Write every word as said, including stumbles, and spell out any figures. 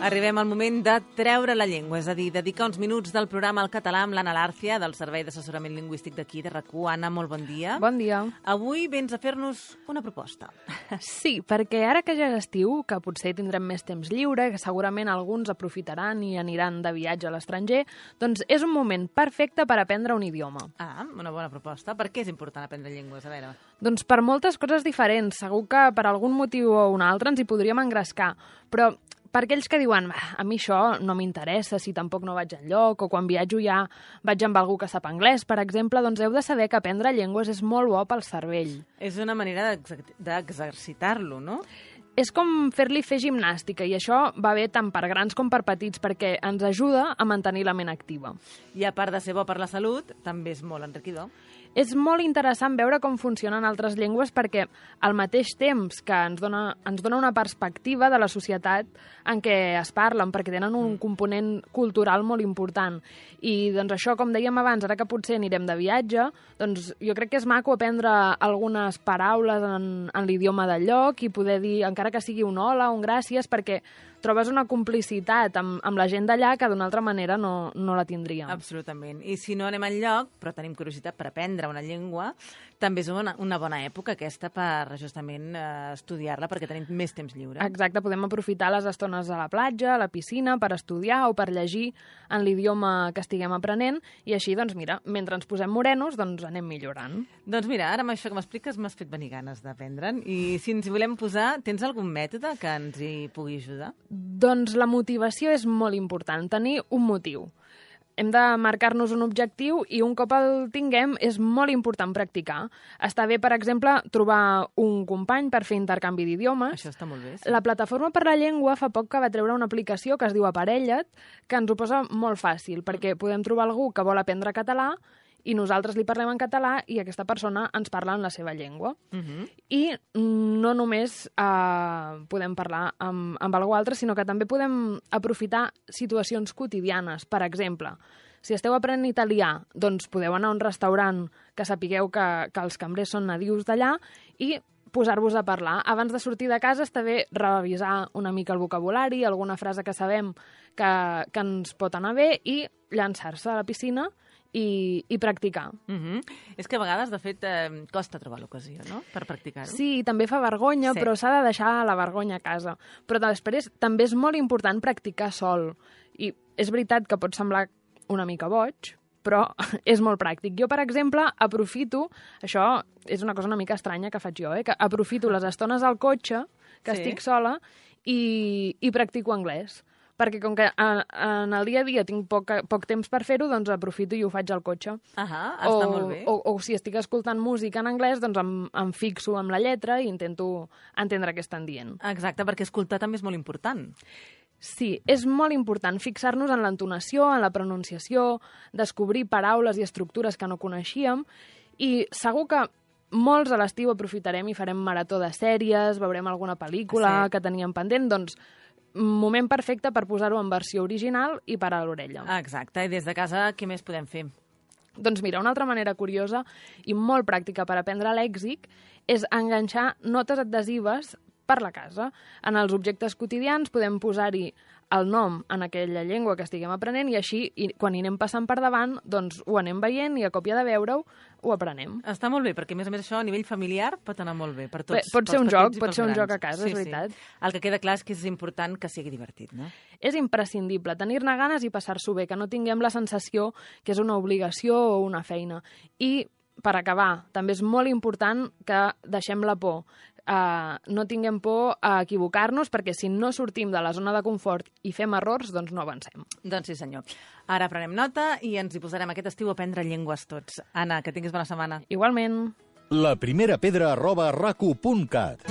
Arribem al moment de treure la llengua, és a dir, dedicar uns minuts del programa al català amb l'Anna Lárcia, del Servei d'Assessorament Lingüístic d'aquí, de R A C u. Anna, molt bon dia. Bon dia. Avui vens a fer-nos una proposta. Sí, perquè ara que ja és estiu, que potser tindrem més temps lliure, que segurament alguns aprofitaran i aniran de viatge a l'estranger, doncs és un moment perfecte per aprendre un idioma. Ah, una bona proposta. Per què és important aprendre llengües? A veure... Doncs per moltes coses diferents. Segur que per algun motiu o un altre ens hi podríem engrescar, però per aquells que diuen a mi això no m'interessa si tampoc no vaig enlloc, o quan viatjo ja vaig amb algú que sap anglès, per exemple, doncs heu de saber que aprendre llengües és molt bo pel cervell. És una manera d'exercitar-lo, no? És com fer-li fer gimnàstica, i això va bé tant per grans com per petits, perquè ens ajuda a mantenir la ment activa. I a part de ser bo per la salut, també és molt enriquidor. És molt interessant veure com funcionen altres llengües perquè al mateix temps que ens dona, ens dona una perspectiva de la societat en què es parlen, perquè tenen un component cultural molt important. I doncs això, com dèiem abans, ara que potser anirem de viatge, doncs jo crec que és maco aprendre algunes paraules en, en l'idioma del lloc i poder dir, encara que sigui un hola, un gràcies, perquè trobes una complicitat amb, amb la gent d'allà que d'una altra manera no, no la tindríem. Absolutament. I si no anem enlloc, però tenim curiositat per aprendre una llengua, també és una, una bona època aquesta per justament eh, estudiar-la, perquè tenim més temps lliure. Exacte, podem aprofitar les estones a la platja, a la piscina, per estudiar o per llegir en l'idioma que estiguem aprenent, i així, doncs mira, mentre ens posem morenos, doncs anem millorant. Doncs mira, ara amb això que m'expliques m'has fet venir ganes d'aprendre'n, i si ens volem posar, tens algun mètode que ens hi pugui ajudar? Doncs la motivació és molt important, tenir un motiu. Hem de marcar-nos un objectiu i un cop el tinguem és molt important practicar. Està bé, per exemple, trobar un company per fer intercanvi d'idiomes. Això està molt bé. Sí. La Plataforma per la Llengua fa poc que va treure una aplicació que es diu Aparella't, que ens ho posa molt fàcil, perquè podem trobar algú que vol aprendre català i nosaltres li parlem en català i aquesta persona ens parla en la seva llengua. Uh-huh. I no només eh, podem parlar amb, amb algú altre, sinó que també podem aprofitar situacions quotidianes. Per exemple, si esteu aprenent italià, doncs podeu anar a un restaurant que sapigueu que, que els cambrers són nadius d'allà i posar-vos a parlar. Abans de sortir de casa està bé revisar una mica el vocabulari, alguna frase que sabem que, que ens pot anar bé i llançar-se a la piscina I, i practicar. Uh-huh. És que a vegades, de fet, eh, costa trobar l'ocasió, no?, per practicar-ho. Sí, també fa vergonya, sí. Però s'ha de deixar la vergonya a casa. Però després també és molt important practicar sol. I és veritat que pot semblar una mica boig, però és molt pràctic. Jo, per exemple, aprofito, això és una cosa una mica estranya que faig jo, eh? que aprofito les estones al cotxe, que sí. Estic sola, i, i practico anglès. Perquè com que en, en el dia a dia tinc poc, poc temps per fer-ho, doncs aprofito i ho faig al cotxe. Ahà, està o, molt bé. O, o si estic escoltant música en anglès, doncs em, em fixo amb la lletra i intento entendre què estan dient. Exacte, perquè escoltar també és molt important. Sí, és molt important fixar-nos en l'entonació, en la pronunciació, descobrir paraules i estructures que no coneixíem, i segur que molts a l'estiu aprofitarem i farem marató de sèries, veurem alguna pel·lícula sí. que teníem pendent, doncs moment perfecte per posar-ho en versió original i parar a l'orella. Exacte, i des de casa què més podem fer? Doncs mira, una altra manera curiosa i molt pràctica per aprendre lèxic és enganxar notes adhesives per la casa. En els objectes quotidians podem posar-hi el nom en aquella llengua que estiguem aprenent i així, i quan hi anem passant per davant, doncs ho anem veient i a còpia de veure-ho ho aprenem. Està molt bé, perquè a més a més això a nivell familiar pot anar molt bé per tots. Bé, pot ser un joc, pot ser un joc a casa, sí, és veritat. Sí. El que queda clar és que és important que sigui divertit, no? És imprescindible tenir-ne ganes i passar-s'ho bé, que no tinguem la sensació que és una obligació o una feina. I, per acabar, també és molt important que deixem la por. Uh, no tinguem por a equivocar-nos, perquè si no sortim de la zona de confort i fem errors, doncs no avancem. Doncs sí, senyor. Ara prenem nota i ens hi posarem aquest estiu a aprendre llengües tots. Anna, que tinguis bona setmana. Igualment. La primera pedra arroba racu punt cat